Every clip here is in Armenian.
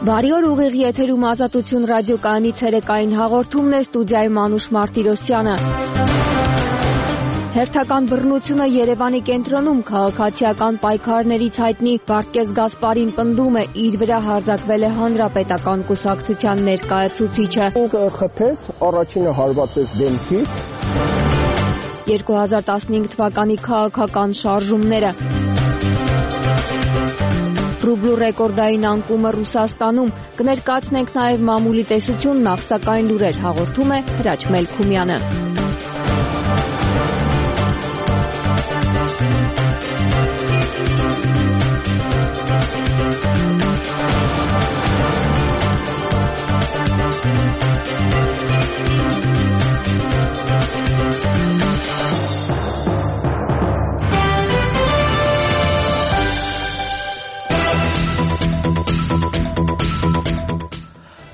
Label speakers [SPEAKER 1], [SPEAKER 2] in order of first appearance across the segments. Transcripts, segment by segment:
[SPEAKER 1] Բարի օր, ուղիղ եթերում Ազատություն ռադիոկայանի ցերեկային հաղորդումն է, ստուդիայում Անուշ Մարտիրոսյանը։ Հերթական բռնությունը Երևանի կենտրոնում քաղաքացիական պայքարներից հայտնի Վարդգես Գասպարին պնդում է, իր վրա հարձակվել է հանրապետական կուսակցության ներկայացուցիչը։
[SPEAKER 2] Խփեց, առաջինը հարվածեց դեմքից։
[SPEAKER 1] 2015 թվականի քաղաքական շարժումները։ Ռուբլու ռեկորդային անկումը Ռուսաստանում, կներկայացնենք նաև մամուլի տեսությունն, ապսակային լուրեր հաղորդում է Հրաչ Մելքումյանը։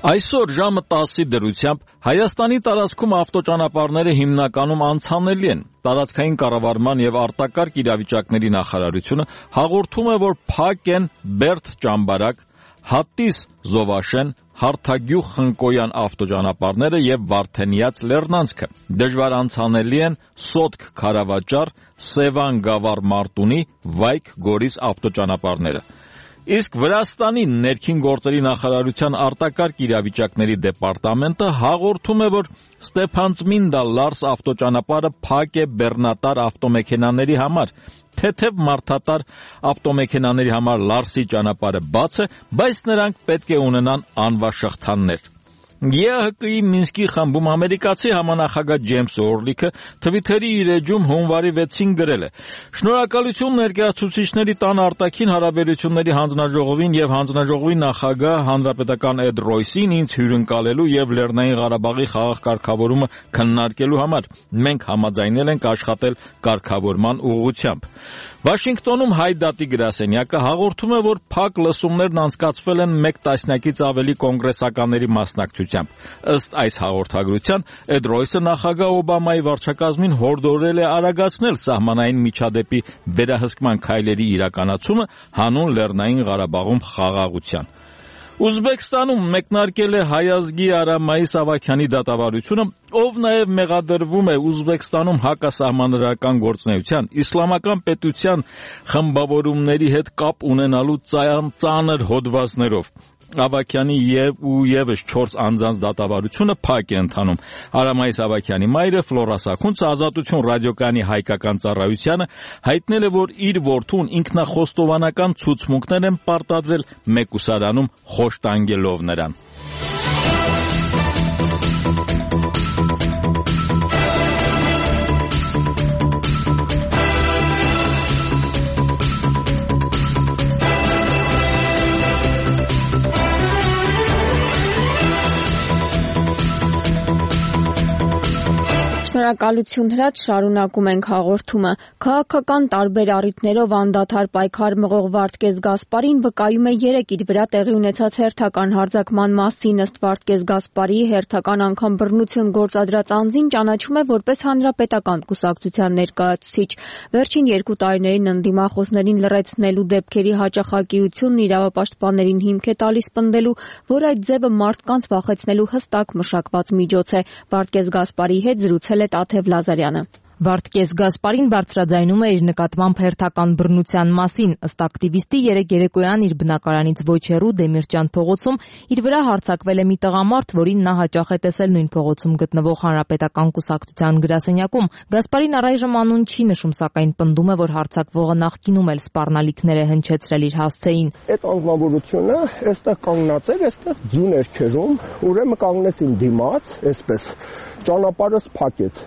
[SPEAKER 3] Այսօր ժամը 10-ի դրությամբ Հայաստանի տարածքում ավտոճանապարհները հիմնականում անցանելի են։ Տարածքային կառավարման եւ արտակարգ իրավիճակների նախարարությունը հաղորդում է, որ փակ են Բերդ-Ճամբարակ, Հատիս-Զովաշեն, Հարթագյուղ-Խնկոյան ավտոճանապարհները եւ Վարդենիաց Լեռնանցքը։ Դժվար անցանելի են Սոտք-Քարավաճառ, Սևան-Գավառ-Մարտունի, Վայք-Գորիս ավտոճանապարհները։ Իսկ Վրաստանի ներքին գործերի նախարարության արտակարգ իրավիճակների դեպարտամենտը հաղորդում է, որ Ստեփանցմինդա-Լարս ավտոճանապարհը փակ է բեռնատար ավտոմեքենաների համար, թեթև մարդատար ավտոմեքենաների համար Լարսի ճանապարհը բաց է, բայց նրանք պետք է ունենան անվաշղթաներ։ ԵԱՀԿ-ի Մինսկի խմբում ամերիկացի համանախագահ Ջեյմս Օրլիքը Թվիթերի իր էջում հունվարի 6-ին գրել է. «Շնորհակալություն ներկայացուցիչների տան արտաքին հարաբերությունների հանձնաժողովին եւ հանձնաժողովի նախագահ հանրապետական Էդ Ռոյսին ինձ հյուրընկալելու եւ Լեռնային Ղարաբաղի խաղաղ կարգավորումը քննարկելու համար։ Մենք համաձայնել ենք աշխատել կարգավորման ուղղությամբ»։ Վաշինգտոնում Հայ դատի գրասենյակը հաղորդում է, որ փակ լսումներն անցկացվել են 1 տասնյակից ավելի կոնգրեսականների մասնակցությամբ։ Ըստ այս հաղորդագրության, Էդ Ռոյսը նախագահ Օբամայի վարչակազմին հորդորել է արագացնել սահմանային միջադեպի վերահսկման քայլերի իրականացումը հանուն Լեռնային Ղարաբաղում խաղաղության։ Ուզբեկստանում մեկնարկել է Հայ ազգի Արամ Մայիս Ավագյանի դատավարությունը, ով նաև մեղադրվում է Ուզբեկստանում հակասահմանադրական գործունեության, իսլամական պետության խմբավորումների հետ կապ ունենալու ծանր հոդվածներով։ Ավագյանի եւս 4 անձանց դատավարությունը փակ է ընթանում։ Արամ Մայիս Ավագյանի մայրը Ֆլորա Սաքունցը Ազատություն ռադիոկայանի հայկական ծառայությանը հայտնել է, որ իր որդուն ինքնախոստովանական ցուցմունքներ են պարտադրել մեկուսարանում խոշտանգելով նրան։
[SPEAKER 1] Շնորհակալություն Հրաչ, շարունակում ենք հաղորդումը։ Քաղաքական տարբեր առիթներով անդադար պայքար մղող Վարդգես Գասպարին վկայում է 3 իր վրա տեղի ունեցած հերթական հարձակման մասին։ Ըստ Վարդգես Գասպարի հերթական անգամ բռնություն գործադրած անձին ճանաչում է որպես հանրապետական կուսակցության ներկայացուցիչ։ Վերջին 2 տարիներին ընդդիմախոսներին լռեցնելու դեպքերի հաճախակիությունն իրավապաշտպաններին հիմք է տալիս պնդելու, որ այդ ձևը մարդկանց վախեցնելու հստակ մշակված միջոց է։ Վարդգես Գասպարի հետ զրուցել է Տաթև Լազարյանը։
[SPEAKER 4] Վարդգես Գասպարին բարձրաձայնում է իր նկատմամբ հերթական բռնության մասին։ Ըստ ակտիվիստի, երեկոյան իր բնակարանից ոչ հեռու Դեմիրճյան փողոցում իր վրա հարձակվել է մի տղամարդ, որին նա հաճախ է տեսել նույն փողոցում գտնվող հանրապետական կուսակցության գրասենյակում։ Գասպարին առայժմ անուն չի նշում, սակայն պնդում է, որ հարձակվողը նախկինում էլ սպառնալիքներ է հնչեցրել իր հասցեին։
[SPEAKER 2] Այդ անձնավորությունը այստեղ կանգնած էր, այստեղ ձյուն էր քերում, ուրեմն կանգնեցին դիմաց, այսպես ճանապարհը փակեց։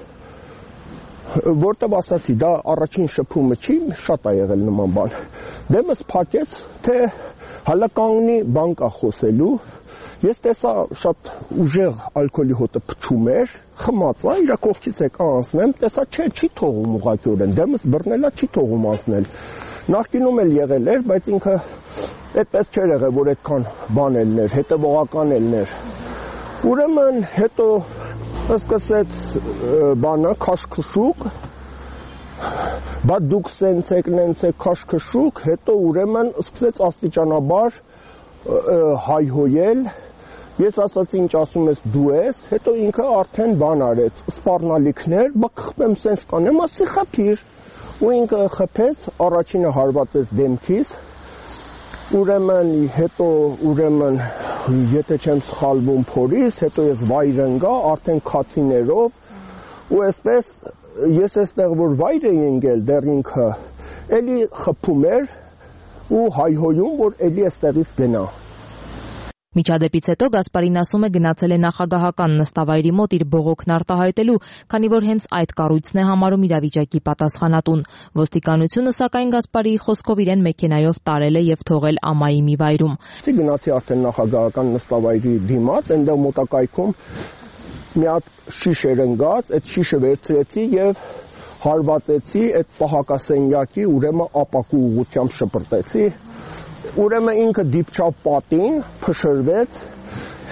[SPEAKER 2] Որտեւ ասացի, դա առաջին շփումը չի, շատ է եղել նման բան։ Դեմս փակեց, թե հələ կանգնի բան կա խոսելու։ Ես տեսա շատ ուժեղ ալկոհոլի հոտը փչում էր, խմած է, իր կողքից եկա անցնեմ, տեսա չի թողում ուղղակիորեն, դեմս բռնելա չի թողում անցնել։ Նախկինում էլ եղել էր, բայց ինքը այդպես չէր եղել, որ այդքան բան ելներ, հետևողական ելներ։ Ուրեմն հետո սկսեց բանը քաշքշուկ, բա դուք սենց եք, նենց եք քաշքշուկ, հետո ուրեմն սկսեց աստիճանաբար հայհոյել, ես ասացի ինչ ասում ես դու ես, հետո ինքը արդեն բան արեց, սպառնալիքներ, բա խփեմ սենց կանեմ, ասի խփիր, ու ինքը խփեց, առաջինը հարվածեց դեմքիս, ուրեմն եթե չեմ սխալվում փորից, հետո ես վայր ընկա, արդեն քացիներով, ու այսպես ես այստեղ որ վայր էի ընկել, դեռ ինքը էլի խփում էր ու հայհոյում, որ էլի այստեղից գնա։
[SPEAKER 4] Միջադեպից հետո Գասպարին ասում է գնացել է նախագահական նստավայրի մոտ իր բողոքն արտահայտելու, քանի որ հենց այդ կառույցն է համարում իրավիճակի պատասխանատուն։ Ոստիկանությունը սակայն Գասպարիի խոսքով իրեն մեքենայով տարել է եւ թողել ամայի մի վայրում։
[SPEAKER 2] Գնացի արդեն նախագահական նստավայրի դիմաց, այնտեղ մոտակայքում մի հատ շիշ էր ընկած, այդ շիշը վերցրեցի եւ հարվածեցի այդ պահակասենյակի, ուրեմն ապակու ուղղությամբ շպրտեցի։ Ուրեմն ինքը դիպչավ պատին, փշրվեց,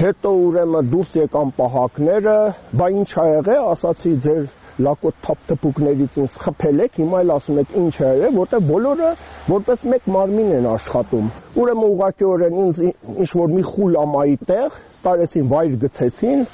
[SPEAKER 2] հետո ուրեմն դուրս եկան պահակները, բա ինչ ա եղել, ասացի ձեր լակոտ թափթփուկներից ինձ խփել եք, հիմա էլ ասում եք ինչ ա եղել, որտեղ բոլորը որպես մեկ մարմին են աշխատում։ Ուրեմն ուղղակիորեն ինձ ինչ որ մի խուլ ամայի տեղ տարեցին, վայր գցեցին։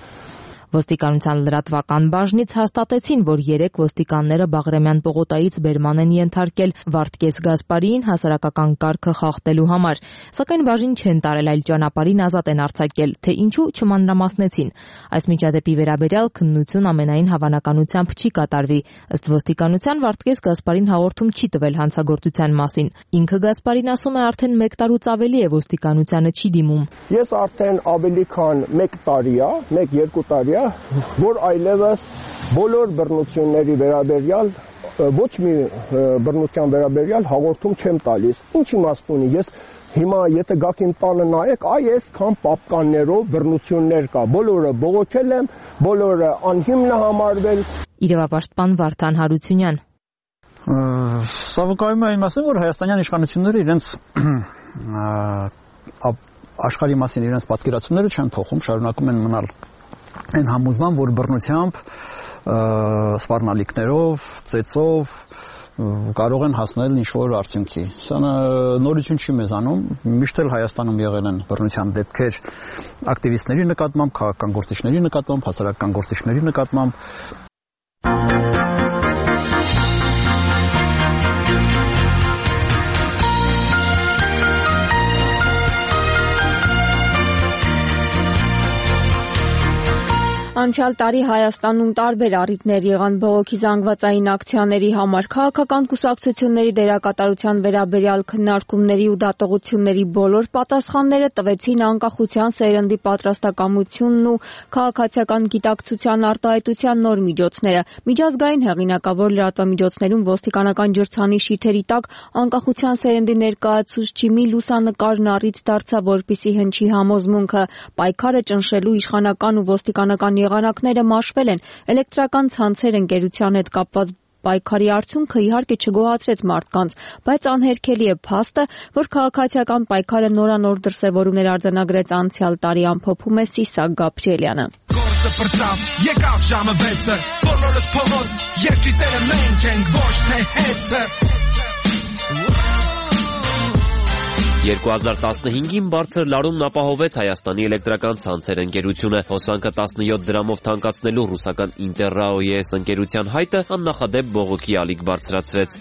[SPEAKER 4] Ոստիկանության լրատվական բաժնից հաստատեցին, որ 3 ոստիկանները Բաղրամյան պողոտայից բերման են ենթարկել Վարդգես Գասպարիին հասարակական կարգը խախտելու համար, սակայն բաժին չեն տարել, այլ ճանապարհին ազատ են արձակել, թե ինչու չմանրամասնեցին։ Այս միջադեպի վերաբերյալ քննություն ամենայն հավանականությամբ չի կատարվի։ Ըստ ոստիկանության Վարդգես Գասպարին հաղորդում չի տվել հանցագործության մասին։ Ինքը Գասպարին ասում է արդեն 1 տարուց ավելի է ոստիկանությանը չի դիմում։
[SPEAKER 2] Ես արդեն ավելի քան 1 տարի է, 1-2 տարի որ այլևս բոլոր բռնությունների վերաբերյալ ոչ մի բռնության վերաբերյալ հաղորդում չեմ տալիս։ Ինչ իմաստ ունի, ես հիմա եթե գաք իմ տանը նայեք, այսքան պապկաններով բռնություններ կա, բոլորը բողոքել եմ, բոլորը անհիմն համարվել։
[SPEAKER 4] Իրավապաշտպան Վարդան Հարությունյան
[SPEAKER 5] Սա վկայում է այն մասին, որ հայաստանյան իշխանությունները իրենց աշխարհի մասին իրենց պատկերացումները չեն փոխում, շարունակում են մնալ այն համոզման, որ բռնությամբ, սպառնալիքներով, ծեծով կարող են հասնել ինչ-որ արդյունքի։ Սա նորություն չի մեզանում, միշտ էլ Հայաստանում եղել են բռնության դեպքեր ակտիվիստների նկատմամբ, քաղաքական գործիչների նկատմամբ, հասարակական գործիչների նկատմամբ։
[SPEAKER 1] Անցյալ տարի Հայաստանում տարբեր առիթներ եղան բողոքի զանգվածային ակցիաների համար, քաղաքական կուսակցությունների դերակատարության վերաբերյալ քննարկումների ու դատողությունների բոլոր պատասխանները տվեցին անկախության սերնդի պատրաստակամությունն ու քաղաքացիական գիտակցության արտահայտության նոր միջոցները։ Միջազգային հեղինակավոր լրատվամիջոցներում ոստիկանական ջրցանի շիթերի տակ անկախության սերնդի ներկայացուցչի մի լուսանկարն առիթ դարձավ, որպիսի հնչի համոզմունքը պայքարը ճնշելու իշխանական ու ոստիկանական եղանակները մաշվել են, էլեկտրական ցանցեր ընկերության հետ կապված պայքարի արդյունքը իհարկե չգոհացրեց մարդկանց, բայց անհերքելի է փաստը, որ քաղաքացիական պայքարը նորանոր դրսևորումներ արձանագրեց անցյալ տարի, ամփոփում է Սիսակ Գաբրիելյանը։
[SPEAKER 6] Գործը բրծավ, եկավ ժամը 6-ը, բոլորս փողոց, երկրի տերը մենք ենք, ոչ թե հեծը։
[SPEAKER 7] 2015-ին բարձր լարումն ապահովեց Հայաստանի էլեկտրական ցանցեր ընկերությունը։ Հոսանքը 17 դրամով թանկացնելու ռուսական Interrao-ES ընկերության հայտը աննախադեպ բողոքի ալիք բարձրացրեց։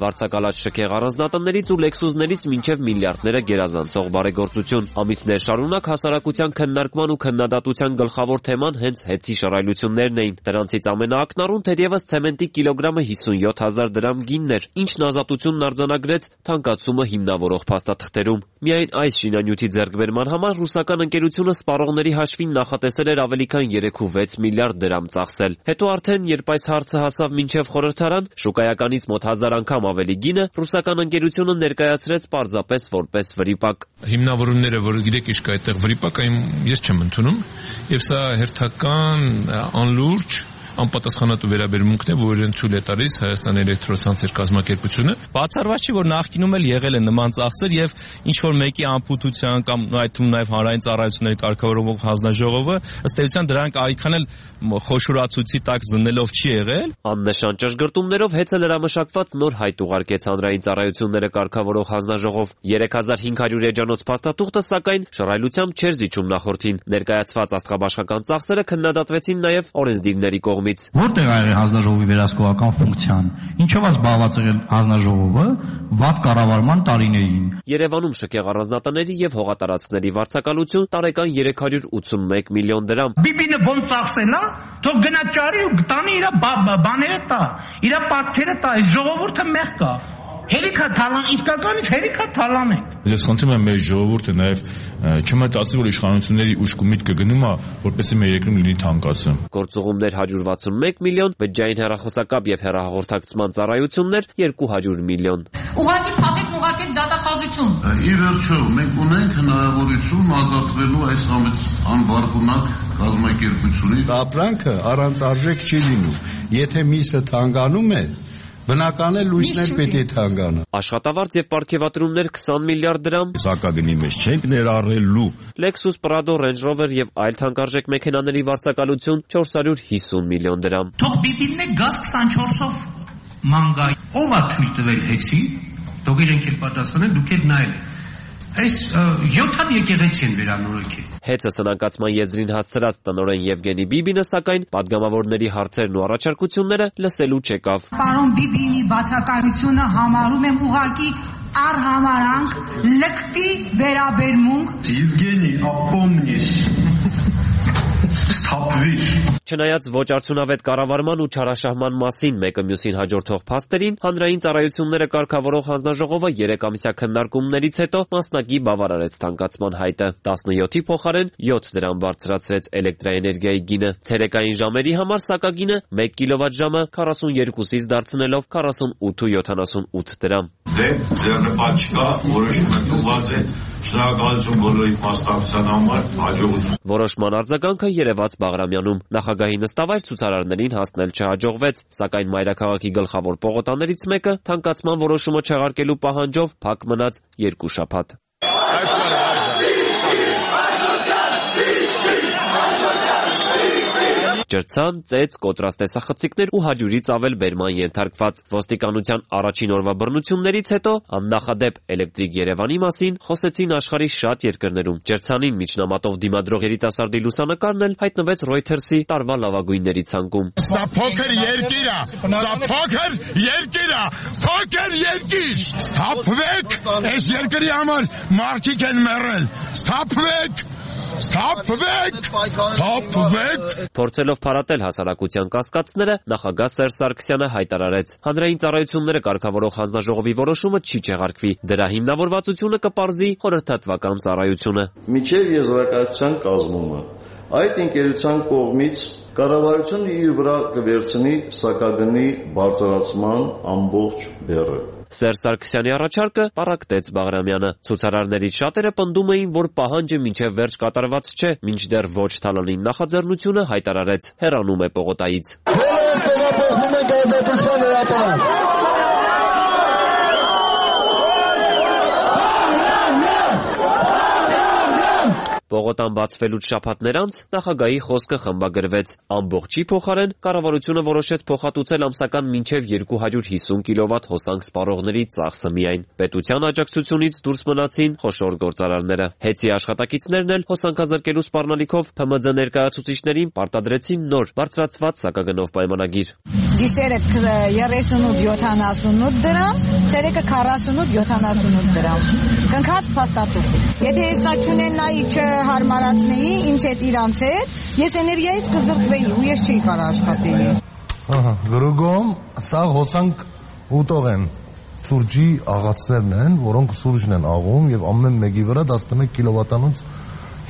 [SPEAKER 7] Վարձակալած շքեղ առանձնատներից ու լեքսուսներից մինչև միլիարդները գերազանցող բարեգործություն։ Ամիսներ շարունակ հասարակության քննարկման ու քննադատության գլխավոր թեման հենց հեծի շռայլություններն էին։ Դրանցից ամենաակնառուն թերևս ցեմենտի կիլոգրամը 57,000 դրամ գինն էր, ինչն ազատությունն արձանագրեց թանկացումը հիմնավորող փաստաթղթերում։ Միայն այս շինանյութի ձեռքբերման համար ռուսական ընկերությունը սպառողների հաշվին նախատեսել էր ավելի քան 3.6 միլիարդ դրամ ծախսել։ Հետո արդեն, երբ այս հարցը հասավ մինչև խորհրդարան, շուկայականից մոտ 1000 անգամ ավելի գինը ռուսական ընկերությունը ներկայացրեց պարզապես որպես վրիպակ։
[SPEAKER 6] Հիմնավորումները, որ գիտեք ինչ կա այդտեղ վրիպակ, ես չեմ ընդունում, եւ սա հերթական անլուրջ
[SPEAKER 8] անպատասխանատու վերաբերմունքն է, որ իրեն թույլ է տալիս Հայաստան էլեկտրոցանցեր կազմակերպությունը։ Բացառված չի, որ նախկինում էլ եղել են նման ծախսեր եւ ինչ որ մեկի անփութության կամ այդ թվում նաեւ հանրային ծառայությունների կարգավորող հանձնաժողովը ըստ էության դրանք այքան էլ խոշորացուցի տակ զննելով չի եղել։
[SPEAKER 7] Աննշան ճշգրտումներով հեծը լրամշակված նոր հայտ ուղարկեց հանրային ծառայությունները կարգավորող հանձնաժողով։ 3500 էջանոց փաստաթուղթը սակայն շռայլությամբ չէր զիջում նախորդին։ Ներկայացված աստղաբաշխական ծախսերը քննադատվեցին նաեւ օրենսդիրների կողմից։
[SPEAKER 9] Որտեղ ա եղել հանձնաժողովի վերահսկողական ֆունկցիան։ Ինչով է զբաղված եղել հանձնաժողովը վատ կառավարման տարիներին։
[SPEAKER 7] Երևանում շքեղ առանձնատների եւ հողատարածքների վարձակալություն տարեկան 381 միլիոն դրամ։
[SPEAKER 10] Բիբինը ոնց ծախսել է, թող գնա ճարի ու տանի իր բաները տա, իր պատկերը տա, ժողովուրդը մեղ կա։ Հերիքա թալան, իսկականից հերիքա թալան է։
[SPEAKER 8] Ես խնդրում եմ մեր ժողովուրդը նաև չմտածի, որ իշխանությունների ուշք ու միտքը գնում է, որպեսզի մեր երկրում լինի թանկացում։
[SPEAKER 7] Գործուղումներ 161 միլիոն, բջջային հեռախոսակապ եւ հեռահաղորդակցման ծառայություններ 200 միլիոն։
[SPEAKER 11] Ուղղակի փաթեթ դատախազություն։
[SPEAKER 12] Ի վերջո մենք ունենք հնարավորություն ազատվելու այս անբարգունակ կազմակերպությունից։
[SPEAKER 13] Ապրանքը առանց արժեք չի լինում։ Եթե միսը թանկանում է, բնական է լույսներ պետք է թանկանա։
[SPEAKER 7] Աշխատավարձ եւ պարգևատրումներ 20 միլիարդ դրամ։
[SPEAKER 13] Սակագնի մեջ չենք ներառելու։
[SPEAKER 7] Lexus, Prado, Range Rover եւ այլ թանկարժեք մեքենաների վարձակալություն 450 միլիոն դրամ։
[SPEAKER 10] Թող բիբինն է գազ 24-ով մանգա։ Ո՞վ է թույլ տվել հեծի։ Թող իրենք էլ պատասխանեն, դուք եք նայել։ Այս 7 եկեղեցի են վերանորոգել։
[SPEAKER 7] Հեծը սնանկացման եզրին հասցրած տնօրեն Եվգենի Բիբինը սակայն падգամավորների հարցերն ու առաջարկությունները լսելու չեկավ։
[SPEAKER 11] Պարոն Բիբինի բացակայությունը համարում եմ ուղղակի առհամարանք լկտի վերաբերմունք։
[SPEAKER 12] Եվգենի, ապոմնես։
[SPEAKER 7] Չնայած ոչ արդյունավետ կառավարման ու չարաշահման մասին մեկը մյուսին հաջորդող փաստերին, հանրային ծառայությունները կարգավորող հանձնաժողովը 3 ամսյա քննարկումներից հետո մասնակի բավարարեց թանկացման հայտը։ 17-ի փոխարեն 7 դրամ բարձրացրեց էլեկտրաէներգիայի գինը։ Ցերեկային ժամերի համար սակագինը 1 կիլովատժամը 42-ից դարձնելով 48.78 դրամ։
[SPEAKER 12] Ձեռնպատ չկա, որոշումը տուղած է, շնորհակալություն բոլորի մասնակցության համար, հաջողություն։
[SPEAKER 7] Որոշման արձագանքը երևաց Բաղրամյանում։ Նախագահի նստավայր ցուցարարներին հասնել չհաջողվեց, սակայն մայրաքաղաքի գլխավոր պողոտաներից մեկը թանկացման որոշումը չեղարկելու պահանջով փակ մնաց 2 շաբաթ։ Ջրցան, ծեծ, կոտրած տեսախցիկներ ու 100-ից ավել բերման ենթարկված։ Ոստիկանության առաջին օրվա բռնություններից հետո աննախադեպ էլեկտրիկ Երևանի մասին խոսեցին աշխարհի շատ երկրներում։ Ջրցանին միջնամատով դիմադրող երիտասարդի լուսանկարն էլ հայտնվեց Reuters-ի տարվա լավագույնների ցանկում։
[SPEAKER 14] Սա փոքր երկիր է, սա փոքր երկիր է, փոքր երկիր։ Սթափվեք, այս երկրի համար մարդիկ են մեռել։ Սթափվեք։ Ստապվեք։
[SPEAKER 7] Փորձելով փարատել հասարակության կասկածները, նախագահ Սերժ Սարգսյանը հայտարարեց. հանրային ծառայությունները կարգավորող հանձնաժողովի որոշումը չի չեղարկվի։ Դրա հիմնավորվածությունը կպարզի խորհրդատվական ծառայությունը։
[SPEAKER 15] Միջև եզրակացության կազմումը այդ ընկերության կողմից կառավարությունը իր վրա կվերցնի սակագնի բարձրացման ամբողջ բեռը։
[SPEAKER 7] Սերժ Սարգսյանի առաջարկը պառակտեց Բաղրամյանը։ Ցուցարարներից շատերը պնդում էին, որ պահանջը մինչև վերջ կատարված չէ, մինչդեռ ոչ Թալանին նախաձեռնությունը հայտարարեց հեռանում է պողոտայից։ Պողոտան բացվելուց շաբաթներ անց նախագահի խոսքը խմբագրվեց։ Ամբողջի փոխարեն կառավարությունը որոշեց փոխհատուցել ամսական մինչև 250 կիլովատ հոսանք սպառողների ծախսը միայն։ Պետության աջակցությունից դուրս մնացին խոշոր գործարարները։ Հեծի աշխատակիցներն էլ հոսանքազրկելու սպառնալիքով ՓՄՁ ներկայացուցիչներին պարտադրեցին նոր բարձրացված սակագնով պայմանագիր։
[SPEAKER 11] Գիշերը 38-78 դրամ, ցերեկը 48-78 դրամ։ Կնքած փաստաթուղթ։ Եթե հեսա չունենայի հարմարացնեի ինձ հետ իրանց հետ, ես էներգիայից կզրկվեի ու ես չէի կարող աշխատեի։
[SPEAKER 13] Գրուգոմ, սա հոսանք ուտող են, սուրճի աղացներն են, որոնք սուրճն են աղում եւ ամեն մեկի վրա 11 կիլովատանոց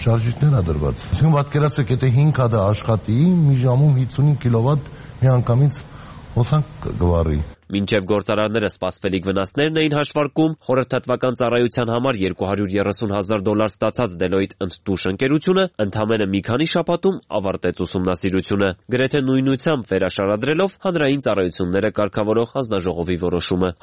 [SPEAKER 13] շարժիչներ է դրված։ Այսինքն պատկերացրեք, եթե 5 հատ աշխատի, մի ժամում 55 կիլովատ միանգամից հոսանք գվարի։
[SPEAKER 7] Մինչև գործարարները սպասվելիք վնասներն էին հաշվարկում, խորհրդատվական ծառայության համար $230,000 ստացած Deloitte ընդդուշ ընկերությունը ընդամենը մի քանի շաբաթում ավարտեց ուսումնասիրությունը, գրեթե նույնությամբ վերաշարադրելով հանրային ծառայությունները կարգավորող հանձնաժողովի որոշումը։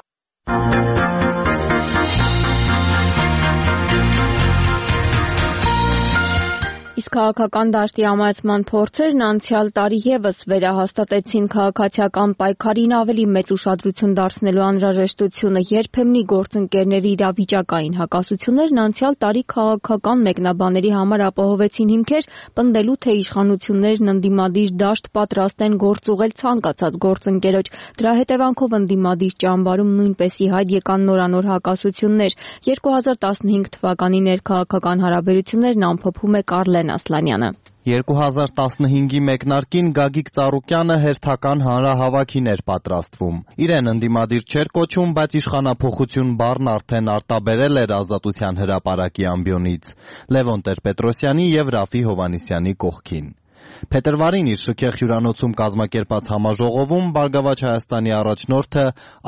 [SPEAKER 1] Իսկ քաղաքական դաշտի ամայացման փորձերն անցյալ տարի ևս վերահաստատեցին քաղաքացիական պայքարին ավելի մեծ ուշադրություն դարձնելու անհրաժեշտությունը, երբեմնի գործընկերների իրավիճակային հակասություններն անցյալ տարի քաղաքական մեկնաբանների համար ապահովեցին հիմքեր, պնդելու թե իշխանություններն ընդդիմադիր դաշտ պատրաստ են գործ ուղղել ցանկացած գործընկերոջ։ Դրա հետևանքով ընդդիմադիր ճամբարում նույնպես ի հայտ եկան նորանոր հակասություններ։ 2015 թվականի ներքաղաքական հարաբերություններն ամփոփում է Կարլեն Ասլանյանը։
[SPEAKER 16] 2015-ի մեկնարկին Գագիկ Ծառուկյանը հերթական հանրահավաքին էր պատրաստվում։ Իրեն ընդդիմադիր չէր կոչում, բայց իշխանափոխություն բառն արդեն արտաբերել էր Ազատության հրապարակի ամբիոնից Լևոն Տեր-Պետրոսյանի եւ Ռաֆի Հովհաննիսյանի կողքին։ Փետրվարին իր շքեղ հյուրանոցում կազմակերպած համաժողովում Բարգավաճ Հայաստանի առաջնորդը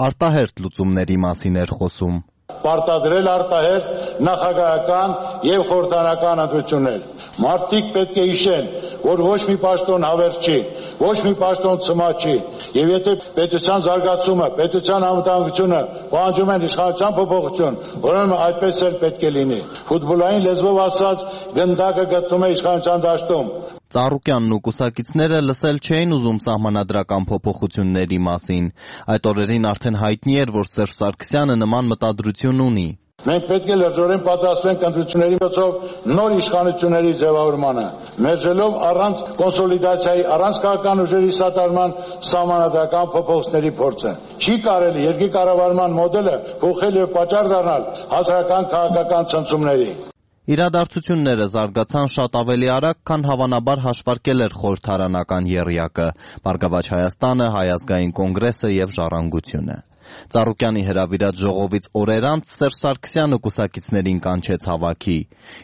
[SPEAKER 16] արտահերթ լուծումների մասին էր խոսում։
[SPEAKER 17] Պարտադրել արտահերթ նախագահական եւ խորհրդարանական ընտրություններ։ Մարդիկ պետք է հիշեն, որ ոչ մի պաշտոն հավերժ չի, ոչ մի պաշտոն ցմա չի, եւ եթե պետության զարգացումը, պետության անվտանգությունը պահանջում են իշխանության փոփոխություն, ուրեմն այդպես էլ պետք է լինի։ Ֆուտբոլային լեզվով ասած, գնդակը գտնվում է իշխանության դաշտում։
[SPEAKER 16] Ծառուկյանն ու կուսակիցները լսել չէին ուզում սահմանադրական փոփոխությունների մասին։ Այդ օրերին արդեն հայտնի էր, որ Սերժ Սարգսյանը նման մտադրություն ունի։
[SPEAKER 17] Մենք պետք է լրջորեն պատրաստվենք ընտրությունների միջոցով նոր իշխանությունների ձևավորմանը, մերժելով առանց կոնսոլիդացիայի, առանց քաղաքական ուժերի սատարման սահմանադրական փոփոխությունների փորձը։ Չի կարելի երկրի կառավարման մոդելը փոխել եւ պատճառ դառնալ հասարակական քաղաքական ցնցումների։
[SPEAKER 16] Իրադարձությունները զարգացան շատ ավելի արագ, քան հավանաբար հաշվարկել էր խորհրդարանական եռյակը, Բարգավաճ Հայաստանը, Հայ ազգային կոնգրեսը եւ Ժառանգությունը։ Ծառուկյանի հրավիրած ժողովից օրեր անց Սերժ Սարգսյանը կուսակիցներին կանչեց հավաքի։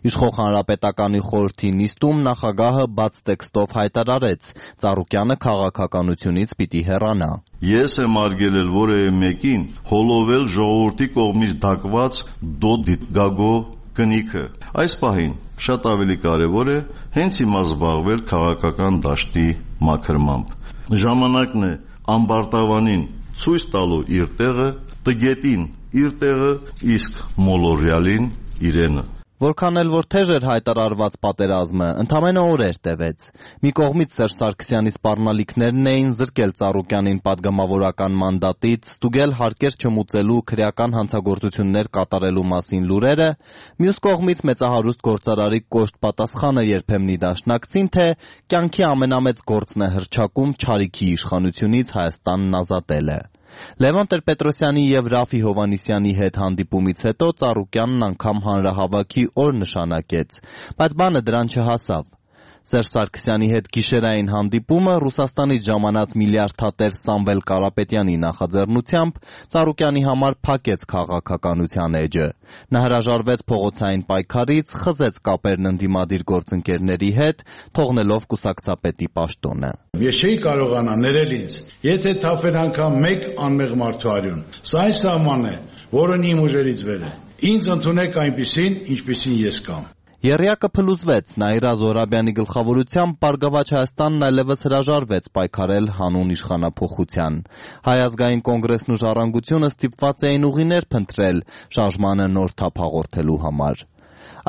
[SPEAKER 16] Իշխող Հանրապետականի խորհրդի նիստում նախագահը բաց տեքստով հայտարարեց. Ծառուկյանը քաղաքականությունից պիտի հեռանա։
[SPEAKER 15] Ես եմ արգելել որևէ մեկին հոլովել ժողովրդի կողմից դակված դոտ գագո կնիքը։ Այս պահին շատ ավելի կարևոր է հենց հիմա զբաղվել քաղաքական դաշտի մաքրմամբ։ Ժամանակն է ամբարտավանին ցույց տալու իր տեղը, տգետին իր տեղը, իսկ մոլորյալին իրենը։
[SPEAKER 16] Որքան էլ որ թեժ էր հայտարարված պատերազմը, ընդամենը օրեր տևեց։ Մի կողմից Սերժ Սարգսյանի սպառնալիքներն էին զրկել Ծառուկյանին պատգամավորական մանդատից, ստուգել հարկեր չմուծելու քրեական հանցագործություններ կատարելու մասին լուրերը, մյուս կողմից մեծահարուստ գործարարի կոշտ պատասխանը երբեմնի դաշնակցին, թե կյանքի ամենամեծ գործն է հռչակում չարիքի իշխանությունից Հայաստանն ազատելը։ Լևոն Տեր-Պետրոսյանի եւ Ռաֆի Հովհաննիսյանի հետ հանդիպումից հետո Ծառուկյանն անգամ հանրահավաքի օր նշանակեց, բայց բանը դրան չհասավ։ Սերժ Սարգսյանի հետ գիշերային հանդիպումը Ռուսաստանից ժամանած միլիարդատեր Սամվել Կարապետյանի նախաձեռնությամբ Ծառուկյանի համար փակեց քաղաքականության էջը։ Նա հրաժարվեց փողոցային պայքարից, խզեց կապերն ընդդիմադիր գործընկերների հետ, թողնելով կուսակցապետի պաշտոնը։
[SPEAKER 17] Ես չէի կարողանա ներել ինձ, եթե թափեր անգամ մեկ անմեղ մարդու արյուն։ Սա այն սահմանն է, որն իմ ուժերից վեր է։ Ինձ ընդունեք այնպիսին, ինչպիսին ես կամ։
[SPEAKER 16] Եռյակը փլուզվեց, Նաիրա Զոհրաբյանի գլխավորությամբ Բարգավաճ Հայաստանն այլևս հրաժարվեց պայքարել հանուն իշխանափոխության։ Հայ ազգային կոնգրեսն ու Ժառանգությունը ստիպված էին ուղիներ փնտրել շարժմանը նոր թափ հաղորդելու համար։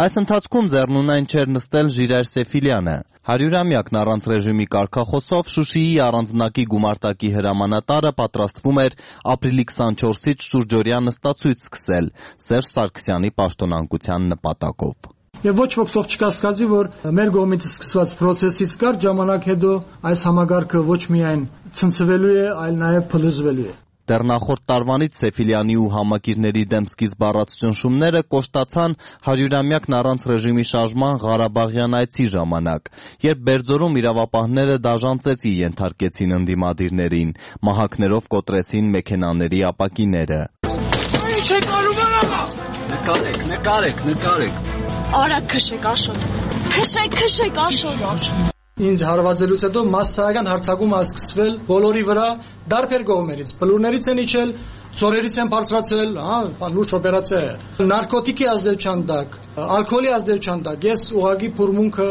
[SPEAKER 16] Այս ընթացքում ձեռնունայն չէր նստել Ժիրայր Սեֆիլյանը։ 100-ամյակն առանց ռեժիմի կարգախոսով Շուշիի առանձնակի գումարտակի հրամանատարը պատրաստվում էր ապրիլի 24-ից շուրջօրյա նստացույց սկսել Սերժ Սարգսյանի պաշտոնանկության նպատակով։
[SPEAKER 18] Եվ ոչ ոք սող չկասկածի, որ մեր կողմից սկսված process-ից կարճ ժամանակ հետո այս համագարկը ոչ միայն ցնցվելու է, այլ նաև փլուզվելու է։
[SPEAKER 16] Դեռ նախորդ տարվանից Սեֆիլյանի ու համակիրների դեմ սկիզբ առած ճնշումները կոշտացան 100-ամյակն առանց ռեժիմի շարժման Ղարաբաղյան այցի ժամանակ, երբ Բերձորում իրավապահները դաժան ծեծի ենթարկեցին ընդդիմադիրներին, մահակներով կոտրեցին մեքենաների ապակիները։
[SPEAKER 19] Ինչ եք անում, նկարեք։ Արա քշեք Աշոտ։ Քշեք Աշոտ։
[SPEAKER 18] Ինձ հարվածելուց հետո massայական հարձակում է սկսվել բոլորի վրա դարբեր կողմերից։ Բլուրներից են իջել, ծորերից են բարձրացել, լուրջ օպերացիա է։ Նարկոտիկի ազդեցության տակ, ալկոհոլի ազդեցության տակ ես ուղղակի փորմունքը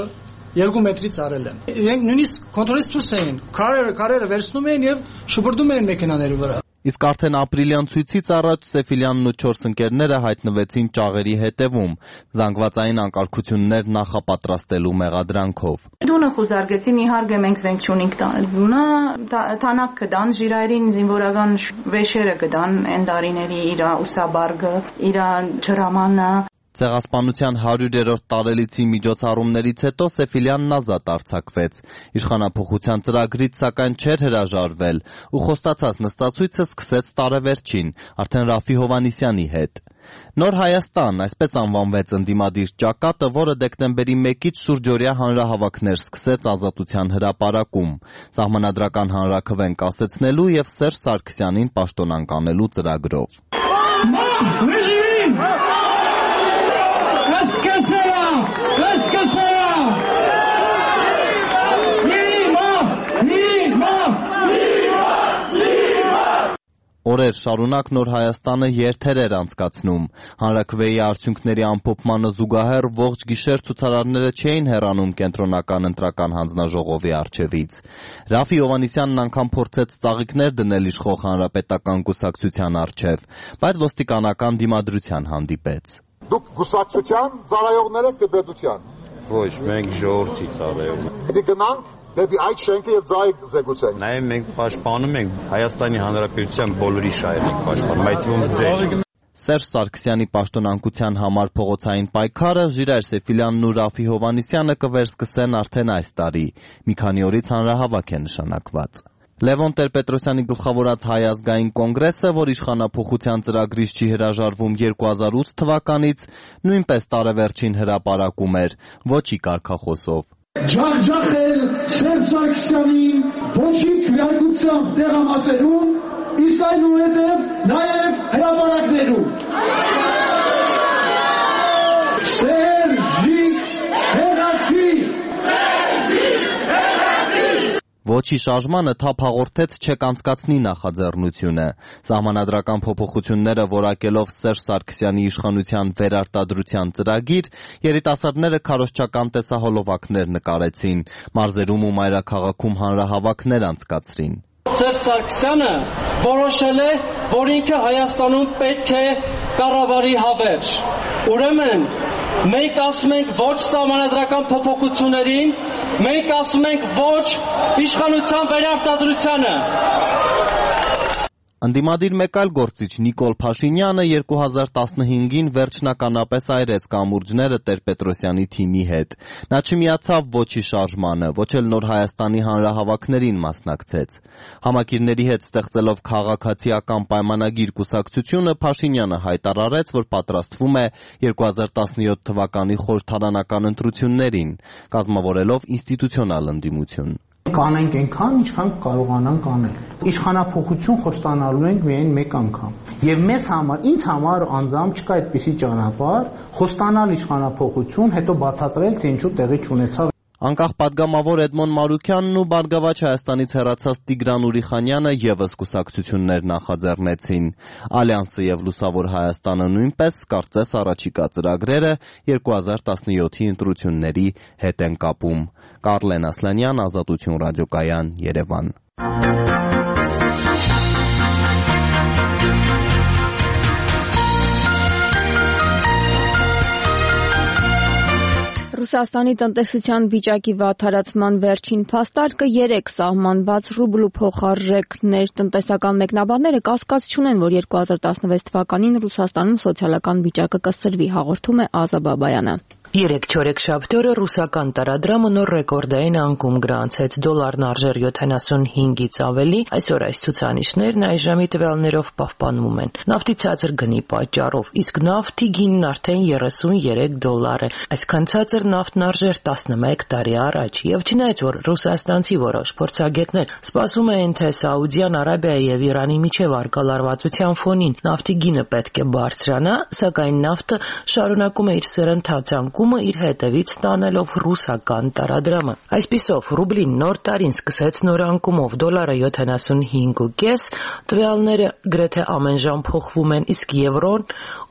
[SPEAKER 18] 2 մետրից արել եմ։ Իրենք նույնիսկ կոնտրոլից դուրս էին, քարերը վերցնում էին եւ շպրտում էին մեքենաների վրա։
[SPEAKER 16] Իսկ արդեն ապրիլյան ցույցից առաջ Սեֆիլյանն ու 4 ընկերները հայտնվեցին ճաղերի հետևում, զանգվածային անկարգություններ նախապատրաստելու մեղադրանքով։
[SPEAKER 20] Դունը խուզարկեցին, իհարկե մենք զենք չունենք տանել դունը, թանակ կդան, ժիրայրին զինվորական վեշերը կդան, այն տարիների իր ուսաբարգը, իր ջրամանը։
[SPEAKER 16] Ցեղասպանության 100-րդ տարելիցի միջոցառումներից հետո Սեֆիլյանն ազատ արձակվեց։ Իշխանափոխության ծրագրից սակայն չէր հրաժարվել ու խոստացած նստացույցը սկսեց տարեվերջին, արդեն Ռաֆի Հովհաննիսյանի հետ։ Նոր Հայաստան, այսպես անվանվեց ընդդիմադիր ճակատը, որը դեկտեմբերի 1-ից շուրջօրյա հանրահավաքներ սկսեց Ազատության հրապարակում, սահմանադրական հանրաքվեն կասեցնելու եւ Սերժ Սարգսյանին պաշտոնանկ անելու ծրագրով։ Օրեր շարունակ Նոր Հայաստանը երթեր էր անցկացնում։ Հանրաքվեի արդյունքների ամփոփմանը զուգահեռ ողջ գիշեր ցուցարարները չէին հեռանում կենտրոնական ընտրական հանձնաժողովի առջևից։ Ռաֆի Հովհաննիսյանն անգամ փորձեց ծաղիկներ դնել իշխող հանրապետական կուսակցության առջև, բայց ոստիկանական դիմադրության հանդիպեց։
[SPEAKER 21] Դուք կուսակցության ծառայողներ եք դեպետության։
[SPEAKER 22] Ոչ, մենք ժողովրդի ծառայողներ։
[SPEAKER 21] Դե գնանք դեպի այդ շենքը եւ ծաղիկ զեկուցենք։
[SPEAKER 22] Նաեւ մենք պաշտպանում ենք Հայաստանի Հանրապետության բոլորի շահերին պաշտպանում, այդ թվում ձեր։
[SPEAKER 16] Սերժ Սարգսյանի պաշտոնանկության համար փողոցային պայքարը Ժիրայր Սեֆիլյանն ու Ռաֆի Հովհաննիսյանը կվերսկսեն արդեն այս տարի։ Մի քանի օրից հանրահավաք է նշանակված։ Լևոն Տեր-Պետրոսյանի գլխավորած Հայ ազգային կոնգրեսը, որ իշխանափոխության ծրագրից չի հրաժարվում 2008 թվականից, նույնպես տարեվերջին հրապարակում էր, ոչի կարգախոսով։
[SPEAKER 23] Ջախջախել Սերժ Սարգսյանին ոչի քվեարկությամբ տեղամասերում, իսկ այնուհետև նաև հրապարակներում։ Սերժի հեղացի։
[SPEAKER 16] Ոչի շարժմանը թափ հաղորդեց չեք անցկացնի նախաձեռնությունը։ Սահմանադրական փոփոխությունները որակելով Սերժ Սարգսյանի իշխանության վերարտադրության ծրագիր, երիտասարդները քարոզչական տեսահոլովակներ նկարեցին, մարզերում ու մայրաքաղաքում հանրահավաքներ անցկացրին։
[SPEAKER 24] Սերժ Սարգսյանը որոշել է, որ ինքը Հայաստանում պետք է կառավարի հավերժ։ Ուրեմն մենք ասում ենք ոչ սահմանադրական փոփոխություններին, մենք ասում ենք ոչ իշխանության վերարտադրությանը։
[SPEAKER 16] Ընդդիմադիր մեկ այլ գործիչ Նիկոլ Փաշինյանը 2015-ին վերջնականապես այրեց կամուրջները Տեր-Պետրոսյանի թիմի հետ։ Նա չմիացավ ոչի շարժմանը, ոչ էլ Նոր Հայաստանի հանրահավաքներին մասնակցեց։ Համակիրների հետ ստեղծելով քաղաքացիական պայմանագիր կուսակցությունը Փաշինյանը հայտարարեց, որ պատրաստվում է 2017 թվականի խորհրդարանական ընտրություններին, կազմավորելով ինստիտուցիոնալ ընդդիմություն։
[SPEAKER 25] Կանենք այնքան, ինչքան կարողանանք անել։ Իշխանափոխություն խոստանալու ենք միայն մեկ անգամ։ Եվ մեզ համար, ինձ համար անձամբ չկա այդպիսի ճանապարհ, խոստանալ իշխանափոխություն, հետո բացատրել, թե ինչու տեղի չունեցավ։
[SPEAKER 16] Անկախ պատգամավոր Էդմոն Մարուքյանն ու Բարգավաճ Հայաստանից հեռացած Տիգրան Ուրիխանյանը ևս կուսակցություններ նախաձեռնեցին։ Ալյանսը եւ Լուսավոր Հայաստանը նույնպես կարծես առաջիկա ծրագրերը 2017-ի ընտրությունների հետ են կապում։ Կարլեն Ասլանյան, Ազատություն ռադիոկայան, Երևան։
[SPEAKER 1] Ռուսաստանի տնտեսության վիճակի վատթարացման վերջին փաստարկը 3 սահմանված ռուբլու փոխարժեքներ տնտեսական մեկնաբանները կասկած չունեն, որ 2016 թվականին Ռուսաստանում սոցիալական վիճակը կսրվի, հաղորդում է Ազա Բաբայանը։
[SPEAKER 26] 3 չորեքշաբթի օրը ռուսական տարադրամը նոր ռեկորդային անկում գրանցեց, դոլարն արժեր 75-ից ավելի, այսօր այս ցուցանիշներն այժմի տվյալներով պահպանվում են։ Նավթի ցածր գնի պատճառով, իսկ նավթի գինն արդեն $33 է։ Այսքան ցածր նավթն արժեր 11 տարի առաջ, եւ չնայած որ ռուսաստանցի որոշ փորձագետներ սպասում էին, թե Սաուդյան Արաբիայի եւ Իրանի միջև առկա լարվածության ֆոնին նավթի գինը պետք է բարձրանա, սակայն նավթը շարունակում է իր սրընթաց անկումը անկումը իր հետևից ստանելով ռուսական տարադրամը։ Այսպիսով, ռուբլին նոր տարին սկսեց նոր անկումով դոլարը 75.5, տվյալները գրեթե ամեն ժամ փոխվում են, իսկ եվրոն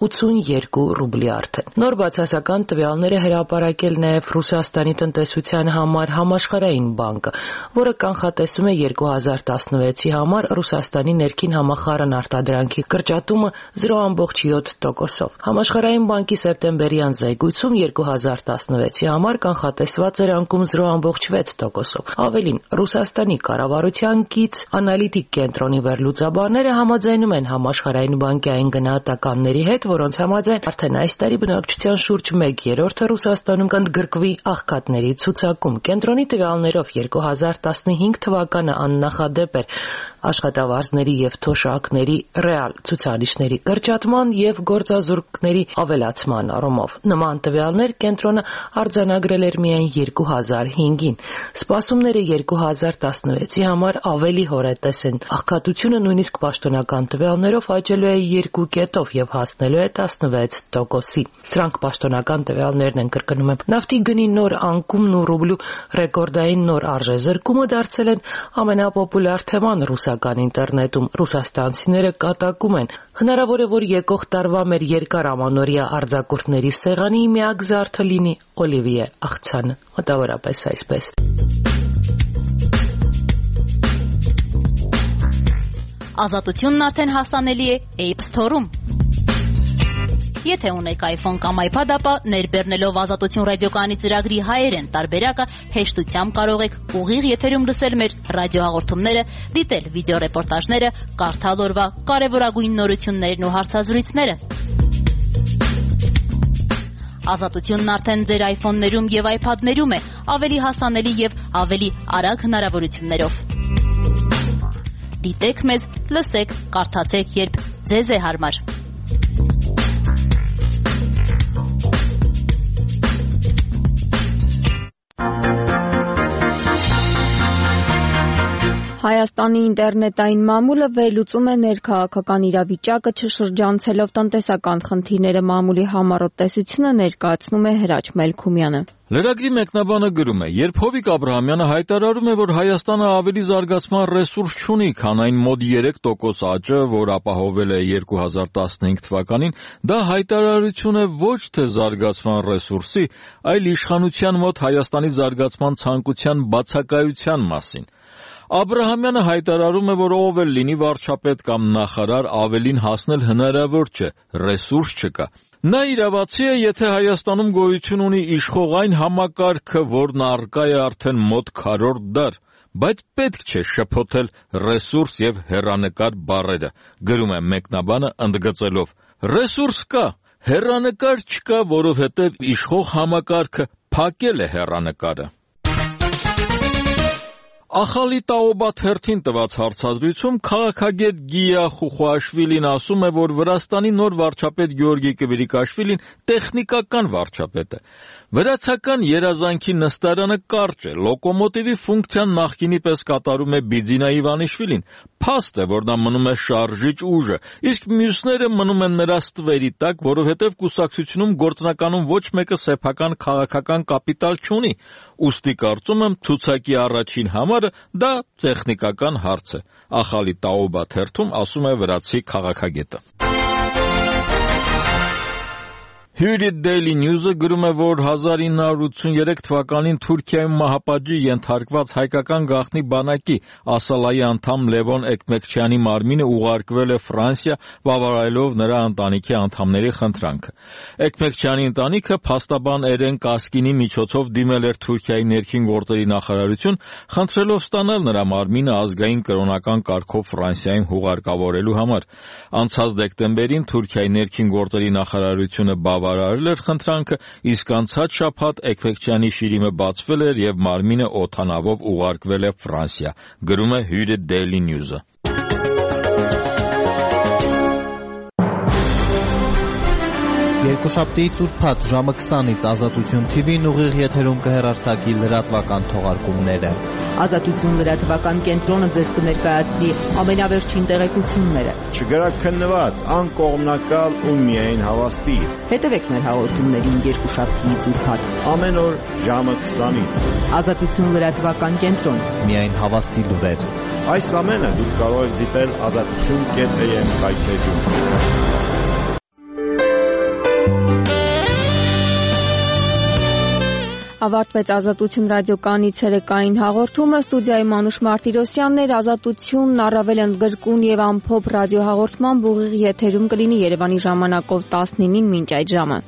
[SPEAKER 26] 82 ռուբլի արդեն։ Նոր բացասական տվյալները հրապարակել նաև Ռուսաստանի տնտեսության համար Համաշխարհային բանկը, որը կանխատեսում է 2016-ի համար Ռուսաստանի ներքին համախառն արտադրանքի կրճատումը 0.7%-ով։ Համաշխարհային բանկի սեպտեմբերյան զեկույցում 2016-ի համար կանխատեսված էր անկում 0.6%-ով։ Ավելին, Ռուսաստանի կառավարության կից անալիտիկ կենտրոնի վերլուծաբանները համաձայնում են Համաշխարհային բանկի այն գնահատականների հետ, որոնց համաձայն արդեն այս տարի բնակչության շուրջ 1/3-ը Ռուսաստանում կընդգրկվի աղքատների ցուցակում։ Կենտրոնի տվյալներով 2015 թվականը աննախադեպ էր աշխատավարձների եւ թոշակների ռեալ ցուցանիշների կրճատման եւ գործազուրկների ավելացման առումով։ Նման տվյալներ կենտրոնը արձանագրել էր միայն 2005-ին։ Սպասումները 2016-ի համար ավելի հորետես են։ Աղքատությունը նույնիսկ պաշտոնական տվյալներով աճելու է 2 կետով եւ հասնելու է 16%-ի։ Սրանք պաշտոնական տվյալներն են, կրկնում եմ։ Նավթի գնի նոր անկումն ու ռուբլու ռեկորդային նոր արժեզրկումը դարձել են ամենապոպուլյար թեման ռուսական ինտերնետում։ Ռուսաստանցիները կատակում են։ Հնարավոր է, որ եկող տարվա մեր երկար ամանորյա արձակուրդների սեղանի միակ զարդը լինի Օլիվիե աղցանը, մոտավորապես այսպես։
[SPEAKER 2] Ազատությունն արդեն հասանելի է App Store-ում։ Եթե ունեք iPhone կամ iPad, ապա ներբեռնելով Ազատություն ռադիոկայանի ծրագրի հայերեն տարբերակը հեշտությամբ կարող եք ուղիղ եթերում լսել մեր ռադիոհաղորդումները, դիտել վիդեոռեպորտաժները, կարդալ օրվա կարևորագույն նորություններն ու հարցազրույցները։ Ազատությունն արդեն ձեր iPhone-ներում եւ iPad-ներում է, ավելի հասանելի եւ ավելի արագ հնարավորություններով։ Դիտեք մեզ, լսեք, կարդացեք, երբ ձեզ է հարմար։
[SPEAKER 1] Հայաստանի ինտերնետային մամուլը վերլուծում է ներքաղաքական իրավիճակը, չշրջանցելով տնտեսական խնդիրները։ Մամուլի համառոտ տեսությունը ներկայացնում է Հրաչ Մելքումյանը։
[SPEAKER 3] Լրագրի մեկնաբանը գրում է. երբ Հովիկ Աբրահամյանը հայտարարում է, որ Հայաստանը ավելի զարգացման ռեսուրս չունի, քան այն մոտ 3% աճը, որ ապահովել է 2015 թվականին, դա հայտարարություն է ոչ թե զարգացման ռեսուրսի, այլ իշխանության մոտ Հայաստանի զարգացման ցանկության բացակայության մասին։ Աբրահամյանը հայտարարում է, որ ով էլ լինի վարչապետ կամ նախարար, ավելին հասնել հնարավոր չէ, ռեսուրս չկա։ Նա իրավացի է, եթե Հայաստանում գոյություն ունի իշխող այն համակարգը, որն առկա է արդեն մոտ քառորդ դար, բայց պետք չէ շփոթել ռեսուրս եւ հեռանկար բառերը, գրում է մեկնաբանը ընդգծելով. ռեսուրս կա, հեռանկար չկա, որովհետեւ իշխող համակարգը փակել է հեռանկարը։ Ախալի Տաոբաթ հերթին տված հարցազրույցում քաղաքագետ Գիա Խուխուաշվիլին ասում է, որ Վրաստանի նոր վարչապետ Գեորգի Կվիրիկաշվիլին տեխնիկական վարչապետ է։ Վրացական երազանքի նստարանը կարճ է, լոկոմոտիվի ֆունկցիան նախկինի պես կատարում է Բիձինա Իվանիշվիլին, փաստ է, որ նա մնում է շարժիչ ուժը, իսկ մյուսները մնում են նրա ստվերի տակ, որովհետև կուսակցությունում գործնականում ոչ մեկը սեփական քաղաքական կապիտալ չունի, ուստի կարծում եմ ցուցակի առաջին համարը դա տեխնիկական հարց է։ Ախալի Տաոբաթ հերթում ասում է վրացի քաղաքագետը։ Hürriyet Daily News-ը գրում է, որ 1983 թվականին Թուրքիայում մահապատժի ենթարկված հայկական գաղտնի բանակի Ասալայի անդամ Լևոն Էկմեկչյանի մարմինը ուղարկվել է Ֆրանսիա, բավարարելով նրա ընտանիքի անդամների խնդրանքը։ Էկմեկչյանի ընտանիքը փաստաբան Էրեն Կասկինի միջոցով դիմել էր Թուրքիայի ներքին գործերի նախարարություն, խնդրելով ստանալ նրա մարմինը ազգային կրոնական կարգով Ֆրանսիայում հուղարկավորելու համար։ Անցած դեկտեմբերին Թուրքիայի ներքին գործերի նախարարությունը բավարարել էր խնդրանքը, իսկ անցած շաբաթ Էկմեկչյանի շիրիմը բացվել էր եւ մարմինը օդանավով ուղարկվել է Ֆրանսիա, գրում է Hürriyet Daily News-ը։
[SPEAKER 16] Երկուշաբթիից ուրբաթ ժամը 20-ից Ազատություն TV-ն ուղիղ եթերում կհեռարձակի լրատվական թողարկումները։
[SPEAKER 4] Ազատություն լրատվական կենտրոնը ձեզ կներկայացնի ամենավերջին տեղեկությունները։
[SPEAKER 22] Չգրաքննված, անկողմնակալ ու միայն հավաստի։
[SPEAKER 4] Հետևեք մեր հաղորդումներին երկուշաբթիից ուրբաթ։
[SPEAKER 22] Ամեն օր ժամը 20-ից։
[SPEAKER 4] Ազատություն լրատվական կենտրոն։
[SPEAKER 16] Միայն հավաստի լուրեր։
[SPEAKER 22] Այս ամենը դուք կարող եք դիտել azatutun.am կայքեջում։
[SPEAKER 1] Ավարտվեց Ազատություն ռադիոկայանի ցերեկային հաղորդումը, ստուդիայում Մանուշ Մարտիրոսյանն էր, Ազատությունն առավել ընդգրկուն եւ ամփոփ ռադիոհաղորդման ուղիղ եթերում կլինի Երևանի ժամանակով 19-ին մինչ այդ ժամը։